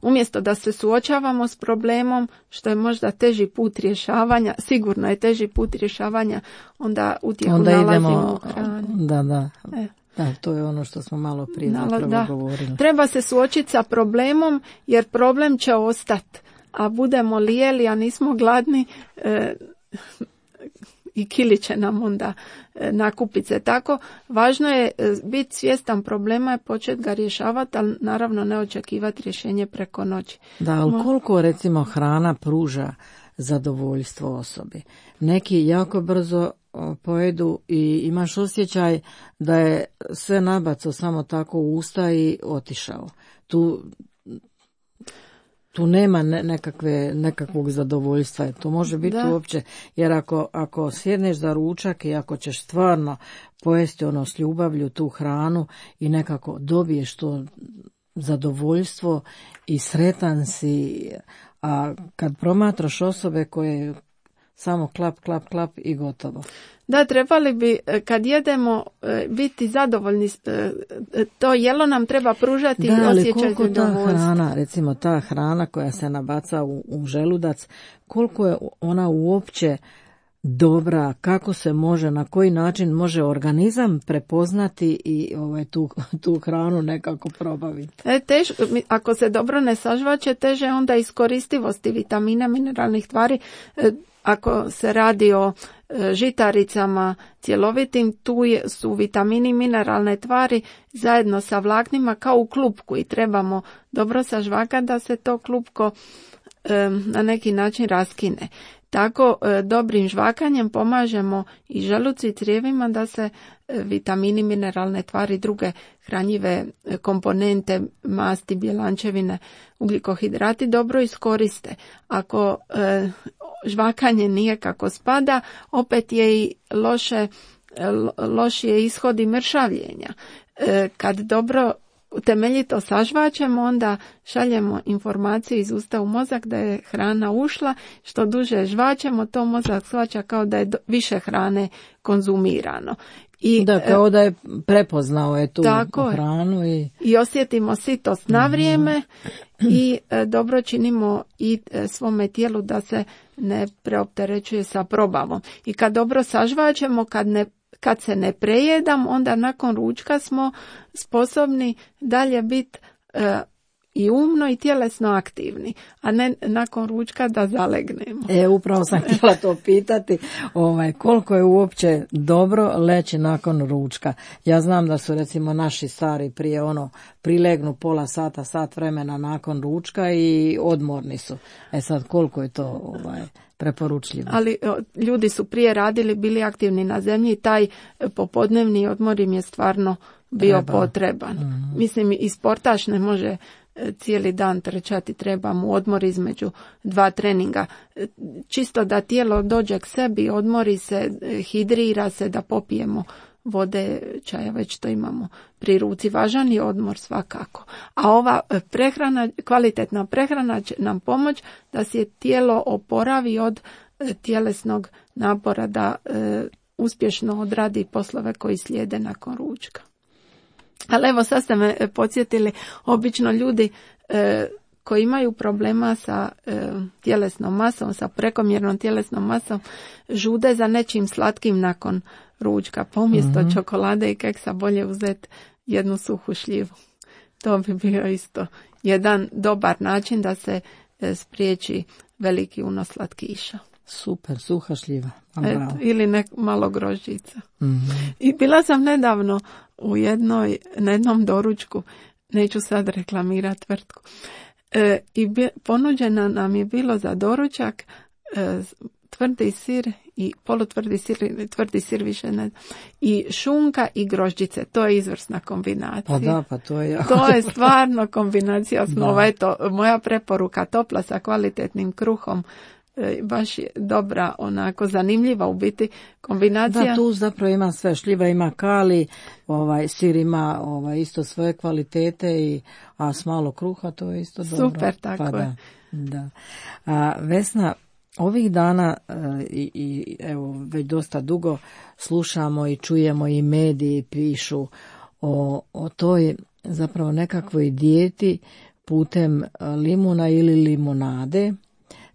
C: umjesto da se suočavamo s problemom, što je možda teži put rješavanja, sigurno je teži put rješavanja, onda utjehu
B: onda
C: nalazimo
B: idemo,
C: u hrani.
B: Da, da.
C: E.
B: Da, to je ono što smo malo prije
C: Nala,
B: zapravo
C: da.
B: govorili.
C: Treba se suočiti sa problemom, jer problem će ostati, a budemo li jeli, a nismo gladni, e, i kili će nam onda nakupiti se. Tako, važno je biti svjestan problema i početi ga rješavati, ali naravno ne očekivati rješenje preko noći.
B: Da, ali koliko, recimo, hrana pruža zadovoljstvo osobi? Neki jako brzo pojedu i imaš osjećaj da je sve nabaco samo tako u usta i otišao. Tu Tu nema ne, nekakve, nekakvog zadovoljstva. To može biti da. Uopće, jer ako, ako sjedneš za ručak i ako ćeš stvarno pojesti ono s ljubavlju tu hranu i nekako dobiješ to zadovoljstvo i sretan si, a kad promatraš osobe koje samo klap, klap, klap i gotovo.
C: Da, trebali bi kad jedemo biti zadovoljni, to jelo nam treba pružati
B: da,
C: osjećaj
B: zadovoljstva. Da, ali koliko ta hrana, recimo ta hrana koja se nabaca u, u želudac, koliko je ona uopće dobra, kako se može, na koji način može organizam prepoznati i ovaj, tu, tu hranu nekako probaviti.
C: E, tež, ako se dobro ne sažvaće, teže onda iskoristivosti vitamina, mineralnih tvari. E, ako se radi o e, žitaricama cjelovitim, tu je, su vitamini i mineralne tvari zajedno sa vlaknima kao u klupku i trebamo dobro sažvakati da se to klupko e, na neki način raskine. Tako e, dobrim žvakanjem pomažemo i želucu i crijevima da se e, vitamini, mineralne tvari, druge hranjive e, komponente, masti, bjelančevine, ugljikohidrati dobro iskoriste. Ako e, žvakanje nije kako spada, opet je i loše, lo, lošije ishodi mršavljenja. E, kad dobro temeljito sažvaćemo, onda šaljemo informaciju iz usta u mozak da je hrana ušla. Što duže žvaćemo, to mozak shvaća kao da je do, više hrane konzumirano. I,
B: da, kao da je prepoznao je tu
C: tako
B: hranu. I...
C: I osjetimo sitost na vrijeme mm-hmm. i e, dobro činimo i e, svome tijelu da se ne preopterećuje sa probavom. I kad dobro sažvaćemo, kad ne Kad se ne prejedam, onda nakon ručka smo sposobni dalje biti e, i umno i tjelesno aktivni, a ne nakon ručka da zalegnemo.
B: E, upravo sam htjela to pitati, ovaj, koliko je uopće dobro leći nakon ručka. Ja znam da su, recimo, naši stari prije ono prilegnu pola sata, sat vremena nakon ručka i odmorni su. E sad, koliko je to ovaj preporučljivo.
C: Ali ljudi su prije radili, bili aktivni na zemlji i taj popodnevni odmor im je stvarno bio Treba. potreban. Mm-hmm. Mislim, i sportaš ne može cijeli dan trčati, treba mu odmor između dva treninga. Čisto da tijelo dođe k sebi, odmori se, hidrira se, da popijemo vode, čaja, već to imamo pri ruci. Važan je odmor svakako. A ova prehrana, kvalitetna prehrana će nam pomoći da se tijelo oporavi od tjelesnog napora, da e, uspješno odradi poslove koji slijede nakon ručka. Ali evo, sad ste me podsjetili, obično ljudi e, koji imaju problema sa e, tjelesnom masom, sa prekomjernom tjelesnom masom, žude za nečim slatkim nakon ručka. Pa umjesto mm-hmm. čokolade i keksa bolje uzeti jednu suhu šljivu. To bi bio isto jedan dobar način da se e, spriječi veliki unos slatkiša.
B: Super, suha šljiva.
C: Eto, ili nek, malo grožđica.
B: Mm-hmm.
C: I bila sam nedavno u jednoj, na jednom doručku, neću sad reklamirati tvrtku, e, i bi, ponuđena nam je bilo za doručak e, tvrdi sir i polutvrdi sir, tvrdi sir više ne, i šunka i grožđice. To je izvrsna kombinacija.
B: Pa da, pa to je jako.
C: To je stvarno kombinacija osnova. Eto, moja preporuka, topla sa kvalitetnim kruhom, baš je dobra, onako zanimljiva u biti kombinacija.
B: Da, tu zapravo ima sve, šljiva ima kali, ovaj, sir ima ovaj, isto svoje kvalitete, i, a s malo kruha to je isto dobro.
C: Super, tako
B: pa,
C: je.
B: Da, da. A, Vesna, ovih dana e, i, i evo već dosta dugo slušamo i čujemo i mediji pišu o, o toj zapravo nekakvoj dijeti putem limuna ili limunade,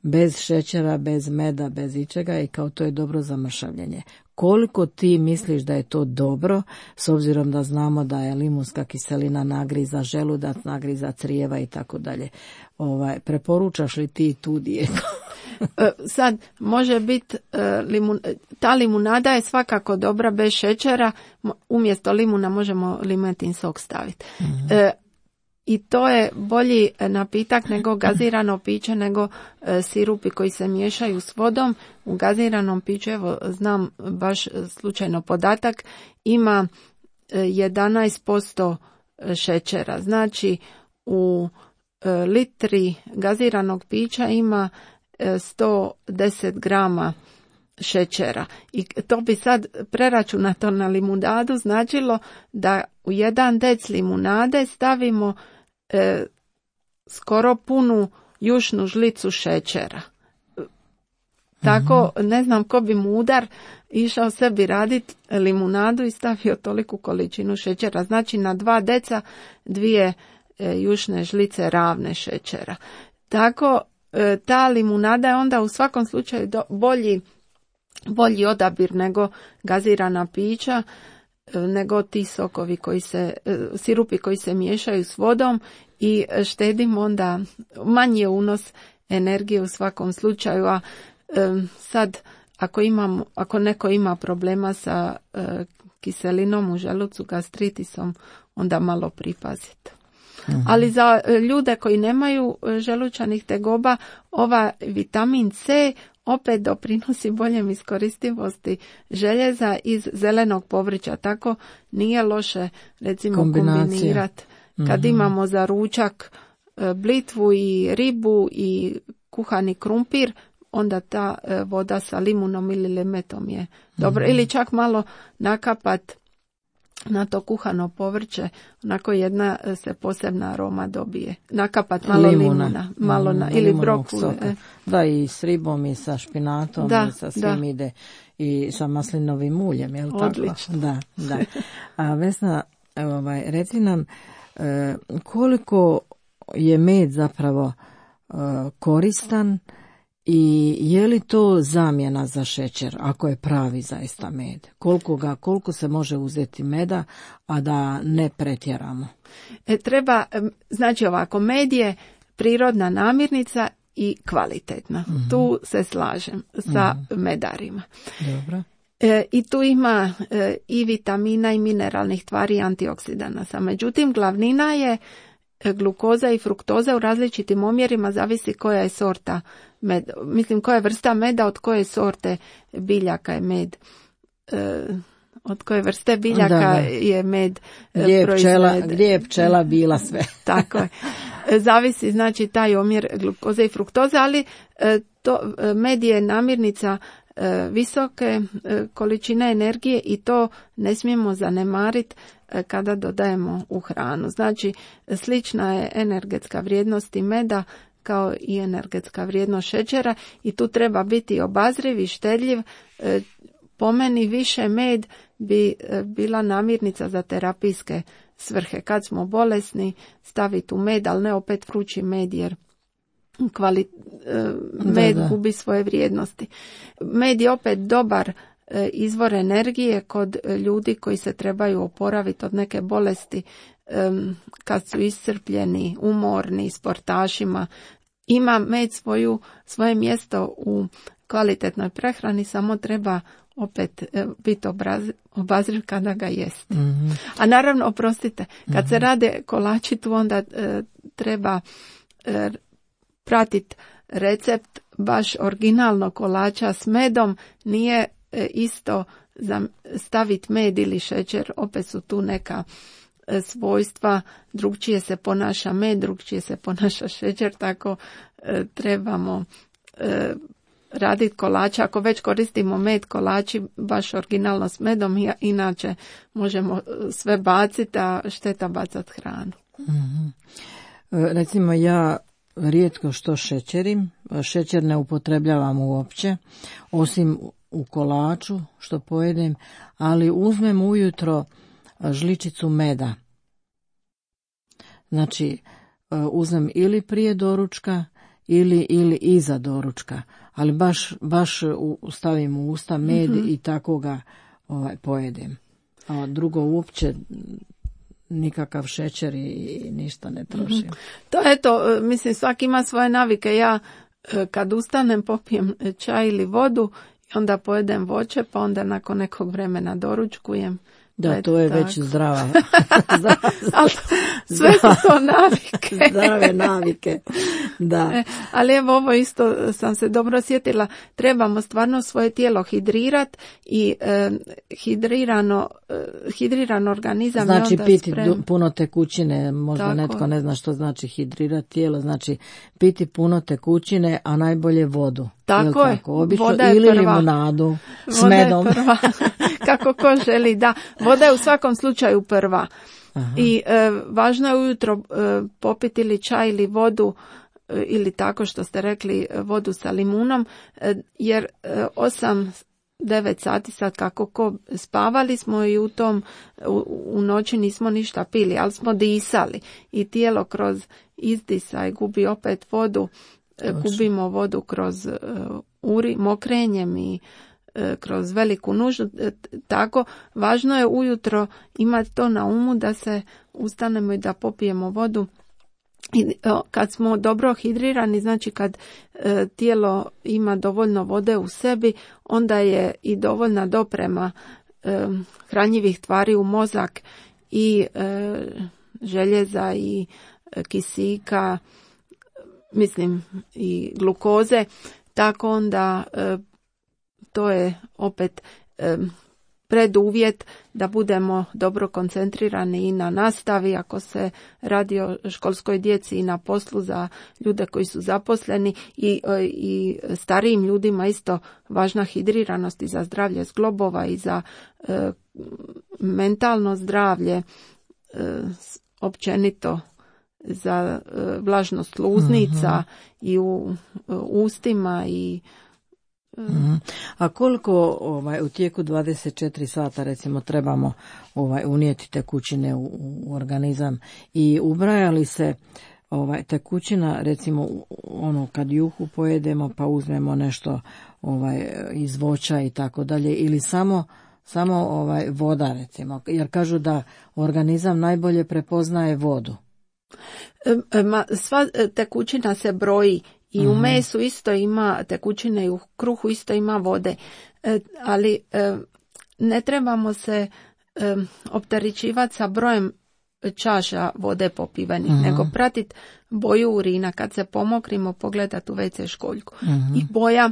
B: bez šećera, bez meda, bez ičega, i kao to je dobro za mršavljenje. Koliko ti misliš da je to dobro, s obzirom da znamo da je limunska kiselina nagriza želudac, nagriza crijeva i tako dalje. Ovaj, preporučaš li ti tu dijetu?
C: Sad, može biti, limun, ta limunada je svakako dobra bez šećera, umjesto limuna možemo limetin sok staviti. Mm-hmm. E, I to je bolji napitak nego gazirano piće, nego e, sirupi koji se miješaju s vodom. U gaziranom piću, evo znam baš slučajno podatak, ima e, jedanaest posto šećera. Znači u e, litri gaziranog pića ima e, sto deset grama šećera. I to bi sad preračunato na limunadu značilo da u jedan dec limunade stavimo e, skoro punu jušnu žlicu šećera. Tako, ne znam ko bi mudar išao sebi raditi limunadu i stavio toliku količinu šećera. Znači na dva deca dvije e, jušne žlice ravne šećera. Tako, e, ta limunada je onda u svakom slučaju do, bolji bolji odabir nego gazirana pića, nego ti sokovi koji se, sirupi koji se miješaju s vodom, i štedimo onda, manji je unos energije u svakom slučaju. A sad ako imam, ako neko ima problema sa kiselinom u želucu, gastritisom, onda malo pripazite. Mhm. Ali za ljude koji nemaju želučanih tegoba, ova vitamin C opet doprinosi boljem iskoristivosti željeza iz zelenog povrća. Tako nije loše recimo kombinirati. Kad mm-hmm. imamo za ručak blitvu i ribu i kuhani krumpir, onda ta voda sa limunom ili limetom je dobro. Mm-hmm. Ili čak malo nakapat na to kuhano povrće, onako jedna se posebna aroma dobije. Nakapat malo limuna, limuna malo na, ili brokule.
B: Da, i s ribom i sa špinatom,
C: da,
B: i sa svim
C: da.
B: Ide, i sa maslinovim uljem, je li tako?
C: Odlično.
B: Da, da. A Vesna, ovaj, reci nam e, koliko je med zapravo e, koristan, i je li to zamjena za šećer, ako je pravi zaista med? Koliko ga, koliko se može uzeti meda, a da ne pretjeramo?
C: E, treba, znači ovako, med je prirodna namirnica i kvalitetna. Mm-hmm. Tu se slažem sa mm-hmm. medarima.
B: Dobro.
C: E, I tu ima e, i vitamina i mineralnih tvari i antioksidanasa. Međutim, glavnina je glukoza i fruktoza u različitim omjerima, zavisi koja je sorta med, mislim koja je vrsta meda, od koje sorte biljaka je med, e, od koje vrste biljaka da, da. je med
B: gdje je, pčela, gdje je pčela bila sve.
C: Tako je. zavisi znači taj omjer glukoze i fruktoze, ali to, med je namirnica visoke količine energije i to ne smijemo zanemariti kada dodajemo u hranu. Znači, slična je energetska vrijednost i meda kao i energetska vrijednost šećera i tu treba biti obazriv i štedljiv. Po meni više med bi bila namirnica za terapijske svrhe. Kad smo bolesni, staviti u med, ali ne opet vrući med jer kvali, med da, da. gubi svoje vrijednosti. Med je opet dobar izvor energije kod ljudi koji se trebaju oporaviti od neke bolesti kad su iscrpljeni, umorni, sportašima. Ima med svoju, svoje mjesto u kvalitetnoj prehrani, samo treba opet biti obazriv kada ga jest. Mm-hmm. A naravno, oprostite, kad mm-hmm. se rade kolači tu onda e, treba e, pratiti recept baš originalno kolača s medom, nije e, isto za staviti med ili šećer, opet su tu neka e, svojstva, drugčije se ponaša med, drugčije se ponaša šećer, tako e, trebamo e, raditi kolače. Ako već koristimo med, kolači baš originalno s medom, inače možemo sve baciti, a šteta bacati hranu.
B: Mm-hmm. Recimo ja rijetko što šećerim, šećer ne upotrebljavam uopće, osim u kolaču što pojedem, ali uzmem ujutro žličicu meda. Znači uzmem ili prije doručka ili, ili iza doručka, ali baš, baš stavim u usta med mm-hmm. i tako ga ovaj, pojedem. A drugo uopće nikakav šećer i ništa ne trošim. Mm-hmm.
C: To je to, mislim svaki ima svoje navike. Ja kad ustanem popijem čaj ili vodu i onda pojedem voće, pa onda nakon nekog vremena doručkujem.
B: Da, to je tako. Već zdrava.
C: Ali sve su to navike.
B: Zdrave navike, da.
C: E, ali evo ovo isto sam se dobro sjetila. Trebamo stvarno svoje tijelo hidrirati i e, hidrirano, e, hidriran organizam.
B: Znači
C: je onda
B: piti
C: sprem.
B: puno tekućine, možda tako. Netko ne zna što znači hidrirati tijelo, znači piti puno tekućine, a najbolje vodu.
C: Tako je,
B: tako? Obično,
C: voda je
B: ili
C: prva.
B: limunadu s
C: voda
B: medom.
C: Je prva. Kako ko želi, da. Voda je u svakom slučaju prva. Aha. I e, važno je ujutro e, popiti ili čaj ili vodu e, ili tako što ste rekli vodu sa limunom, e, jer e, osam devet sati sad kako ko spavali smo i u tom u, u noći nismo ništa pili, ali smo disali i tijelo kroz izdisaj gubi opet vodu. Točno. Gubimo vodu kroz uh, uri, mokrenjem i uh, kroz veliku nuždu. E, tako, važno je ujutro imati to na umu da se ustanemo i da popijemo vodu. I, o, kad smo dobro hidrirani, znači kad e, tijelo ima dovoljno vode u sebi, onda je i dovoljna doprema e, hranjivih tvari u mozak i e, željeza i e, kisika, mislim i glukoze, tako onda e, to je opet e, preduvjet da budemo dobro koncentrirani i na nastavi, ako se radi o školskoj djeci i na poslu za ljude koji su zaposleni i, i starijim ljudima isto važna hidriranost i za zdravlje zglobova i za e, mentalno zdravlje, e, općenito za e, vlažnost sluznica mm-hmm. i u e, ustima i
B: Mm. A koliko ovaj, u tijeku dvadeset četiri sata recimo trebamo ovaj, unijeti tekućine u, u organizam i ubraja li se ovaj, tekućina recimo ono kad juhu pojedemo pa uzmemo nešto ovaj, iz voća i tako dalje ili samo, samo ovaj, voda recimo, jer kažu da organizam najbolje prepoznaje vodu.
C: E, ma, sva tekućina se broji. I u mesu isto ima tekućine i u kruhu isto ima vode, e, ali e, ne trebamo se e, opterećivati sa brojem čaša vode popivenih, uh-huh. nego pratiti boju urina. Kad se pomokrimo, pogledati u ve ce školjku. Uh-huh. I boja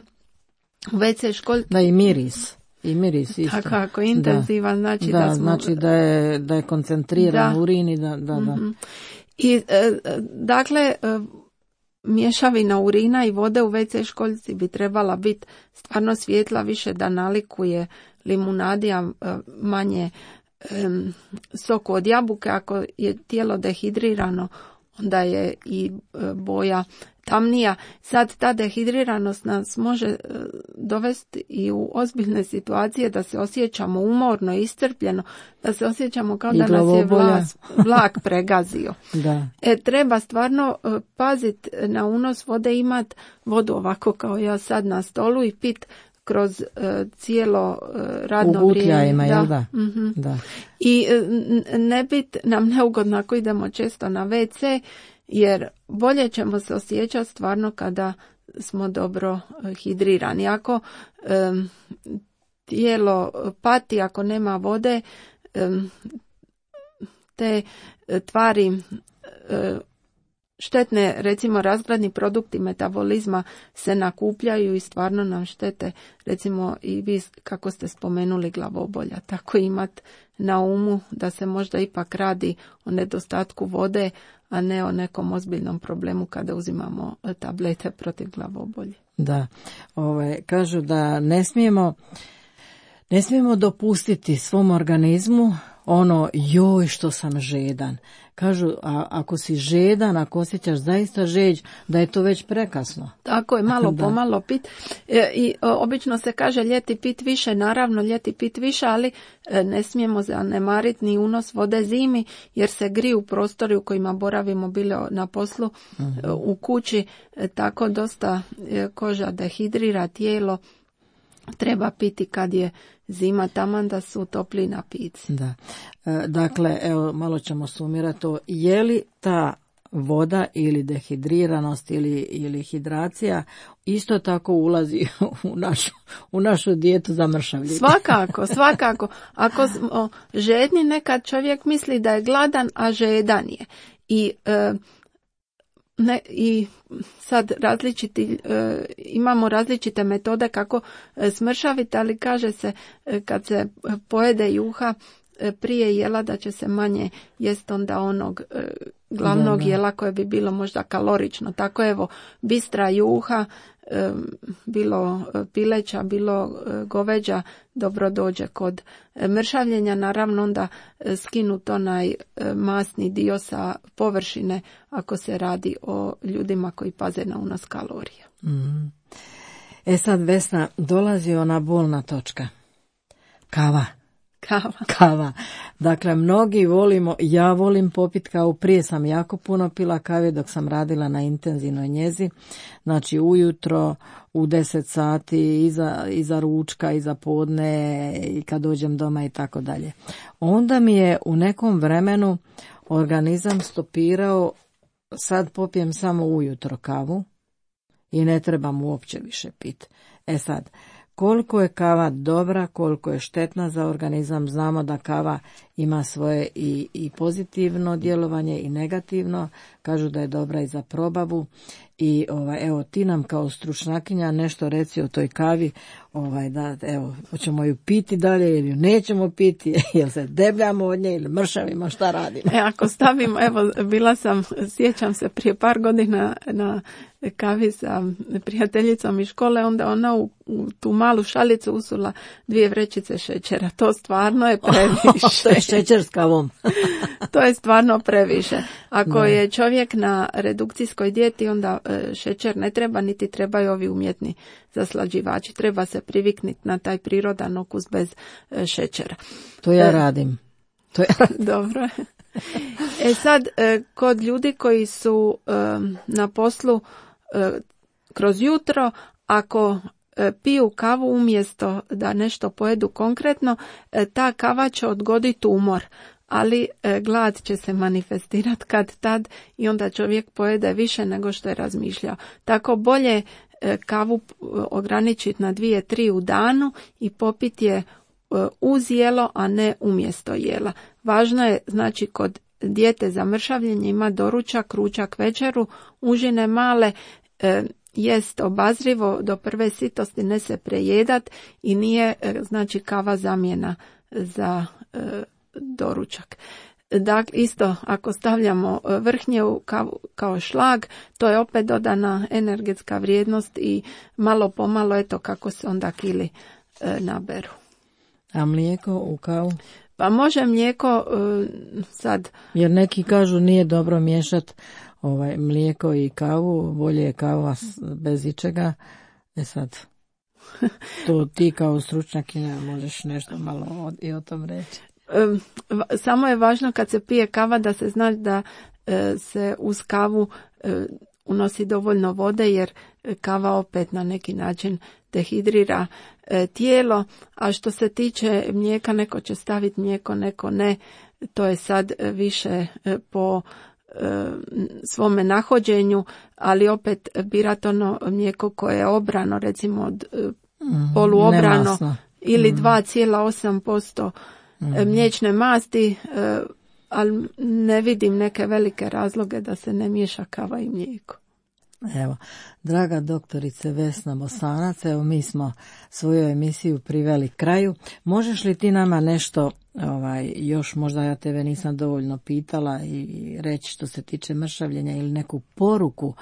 C: u ve ce školjku...
B: Da, i miris. I miris isto.
C: Tako, ako intenzivan,
B: da.
C: znači
B: da,
C: da smo...
B: znači da je, da je koncentriran da. urin i da... da, da.
C: Uh-huh. I e, dakle e, mješavina urina i vode u ve ce školjci bi trebala biti stvarno svjetla, više da nalikuje limunadi, a manje e, soku od jabuke. Ako je tijelo dehidrirano, onda je i e, boja tamnija. Sad ta dehidriranost nas može e, dovesti i u ozbiljne situacije da se osjećamo umorno, iscrpljeno, da se osjećamo kao
B: I
C: da nas je
B: glavobolja.
C: vlas, vlak pregazio.
B: Da.
C: E, treba stvarno e, paziti na unos vode, imat vodu ovako kao ja sad na stolu i pit kroz e, cijelo e, radno
B: U
C: vrijeme.
B: gutljajima, jel da?
C: Mhm.
B: Da.
C: I e, n- ne bit nam neugodno ako idemo često na ve ce, jer bolje ćemo se osjećati stvarno kada smo dobro e, hidrirani. Ako e, tijelo pati, ako nema vode, e, te e, tvari e, štetne, recimo razgradni produkti metabolizma se nakupljaju i stvarno nam štete, recimo i vi kako ste spomenuli glavobolja. Tako imat na umu da se možda ipak radi o nedostatku vode, a ne o nekom ozbiljnom problemu kada uzimamo tablete protiv glavobolje.
B: Da. Ove, kažu da ne smijemo ne smijemo dopustiti svom organizmu ono joj što sam žedan. Kažu, a ako si žedan, ako osjećaš zaista žeđ, da je to već prekasno.
C: Tako je, malo
B: Da.
C: po malo pit. E, I o, obično se kaže ljeti pit više, naravno ljeti pit više, ali e, ne smijemo zanemariti ni unos vode zimi, jer se griju prostori u kojima boravimo, bilo na poslu, e, u kući, e, tako dosta e, koža dehidrira, tijelo treba piti kad je zima, taman da su topli napici.
B: Da. E, dakle, evo, malo ćemo sumirati to. Je li ta voda ili dehidriranost ili, ili hidracija isto tako ulazi u našu, u našu dijetu za mršavljenje?
C: Svakako, svakako. Ako smo žedni, nekad čovjek misli da je gladan, a žedan je. I e, Ne, i sad različiti, e, imamo različite metode kako e, smršaviti, ali kaže se e, kad se pojede juha e, prije jela da će se manje jest onda onog e, glavnog
B: Da, da.
C: jela koje bi bilo možda kalorično. Tako evo, bistra juha, e, bilo pileća, bilo e, goveđa, dobro dođe kod e, mršavljenja. Naravno onda e, skinut onaj e, masni dio sa površine ako se radi o ljudima koji paze na unos kalorija.
B: Mm. E sad, Vesna, dolazi ona bolna točka. Kava.
C: Kava.
B: Kava. Dakle, mnogi volimo, ja volim popit kavu, prije sam jako puno pila kave dok sam radila na intenzivnoj njezi, znači ujutro, u deset sati, iza, iza ručka, iza podne i kad dođem doma i tako dalje. Onda mi je u nekom vremenu organizam stopirao, sad popijem samo ujutro kavu i ne trebam uopće više pit. E sad, koliko je kava dobra, koliko je štetna za organizam, znamo da kava ima svoje i, i pozitivno djelovanje i negativno, kažu da je dobra i za probavu i ovaj, evo ti nam kao stručnjakinja nešto reci o toj kavi, ovaj, da evo, hoćemo ju piti dalje ili ju nećemo piti, jel se debljamo od nje ili mršavimo, šta radimo?
C: E, ako stavimo, evo, bila sam, sjećam se prije par godina na kavi sa prijateljicom iz škole, onda ona u, u tu malu šalicu usula dvije vrećice šećera. To stvarno je previše.
B: To je šećer s kavom.
C: To je stvarno previše. Ako
B: Da.
C: je čovjek na redukcijskoj dijeti, onda e, šećer ne treba, niti trebaju ovi umjetni zaslađivači. Treba se privikniti na taj prirodan okus bez e, šećera.
B: To ja
C: E,
B: radim. To ja
C: Dobro. E sad, e, kod ljudi koji su e, na poslu e, kroz jutro, ako e, piju kavu umjesto da nešto pojedu konkretno, e, ta kava će odgoditi umor, ali e, glad će se manifestirati kad tad i onda čovjek pojede više nego što je razmišljao. Tako bolje e, kavu e, ograničiti na dvije, tri u danu i popiti je uz jelo, a ne umjesto jela. Važno je, znači, kod dijete za mršavljenje ima doručak, ručak, večeru, užine male, e, jest obazrivo do prve sitosti, ne se prejedat i nije, e, znači, kava zamjena za e, doručak. Dakle, isto ako stavljamo vrhnje kao, kao šlag, to je opet dodana energetska vrijednost i malo pomalo eto kako se onda kili e, naberu.
B: A mlijeko u kavu?
C: Pa može mlijeko e, sad...
B: Jer neki kažu nije dobro miješati ovaj, mlijeko i kavu, bolje je kava bez ičega. E sad, to ti kao stručnjakinja možeš nešto malo od, i o tom reći.
C: Samo je važno kad se pije kava da se zna da e, se uz kavu e, unosi dovoljno vode, jer kava opet na neki način dehidrira e, tijelo, a što se tiče mlijeka, neko će staviti mlijeko, neko ne, to je sad više e, po e, svome nahođenju, ali opet birati ono mlijeko koje je obrano, recimo od e, mm, poluobrano nemasno. Ili mm. dva zarez osam posto mm. mliječne masti, e, ali ne vidim neke velike razloge da se ne miješa kava i mlijeko.
B: Evo, draga doktorice Vesna Bosanac, evo mi smo svoju emisiju priveli kraju. Možeš li ti nama nešto, ovaj, još možda ja tebe nisam dovoljno pitala, i reći što se tiče mršavljenja ili neku poruku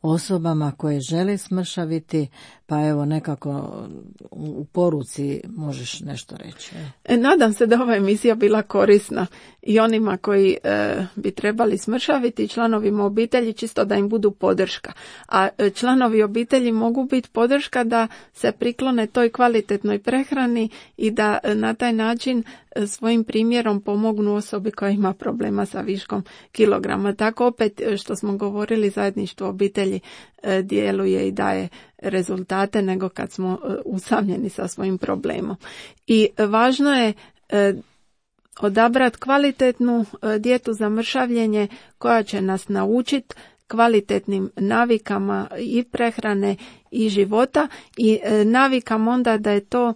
B: osobama koje žele smršaviti, pa evo nekako u poruci možeš nešto reći.
C: E, nadam se da ova emisija bila korisna i onima koji e, bi trebali smršaviti, članovima obitelji, čisto da im budu podrška. A e, članovi obitelji mogu biti podrška da se priklone toj kvalitetnoj prehrani i da e, na taj način e, svojim primjerom pomognu osobi koja ima problema sa viškom kilograma. Tako opet što smo govorili, zajedništvo obitelji e, djeluje i daje rezultate nego kad smo e, usamljeni sa svojim problemom. I e, važno je e, odabrati kvalitetnu e, dijetu za mršavljenje koja će nas naučiti kvalitetnim navikama i prehrane i života i e, navikam onda da je to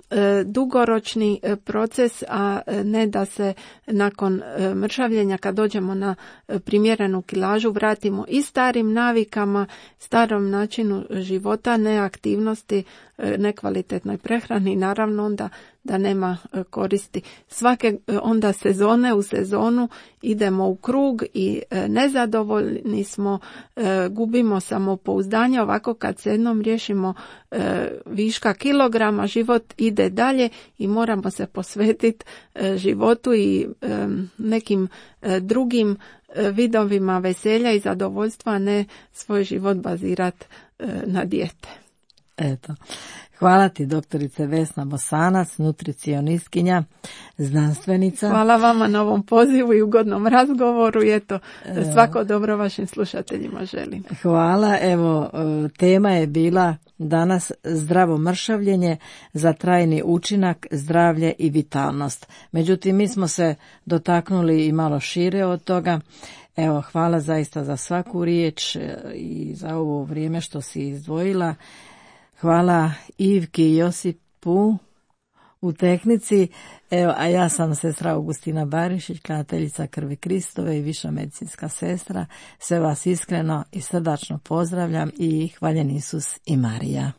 C: e, dugoročni e, proces, a ne da se nakon e, mršavljenja kad dođemo na e, primjerenu kilažu vratimo i starim navikama, starom načinu života, neaktivnosti, e, nekvalitetnoj prehrani i naravno onda da nema koristi. Svake onda sezone u sezonu idemo u krug i nezadovoljni smo, gubimo samopouzdanje. Ovako kad se jednom riješimo viška kilograma, život ide dalje i moramo se posvetiti životu i nekim drugim vidovima veselja i zadovoljstva, a ne svoj život bazirati na dijete.
B: Eto. Hvala ti doktorice Vesna Bosanac, nutricionistkinja, znanstvenica.
C: Hvala vama na ovom pozivu i ugodnom razgovoru i eto, svako dobro vašim slušateljima želim.
B: Hvala, evo tema je bila danas zdravo mršavljenje za trajni učinak, zdravlje i vitalnost. Međutim, mi smo se dotaknuli i malo šire od toga. Evo, hvala zaista za svaku riječ i za ovo vrijeme što si izdvojila. Hvala Ivki i Josipu u tehnici, evo, a ja sam sestra Augustina Barišić, klanjateljica krvi Kristove i viša medicinska sestra. Sve vas iskreno i srdačno pozdravljam i hvaljen Isus i Marija.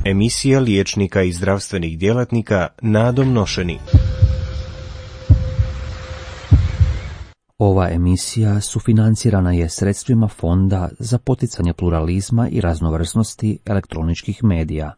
A: Emisija liječnika i zdravstvenih djelatnika Nadom Nošeni.
D: Ova emisija sufinancirana je sredstvima Fonda za poticanje pluralizma i raznovrsnosti elektroničkih medija.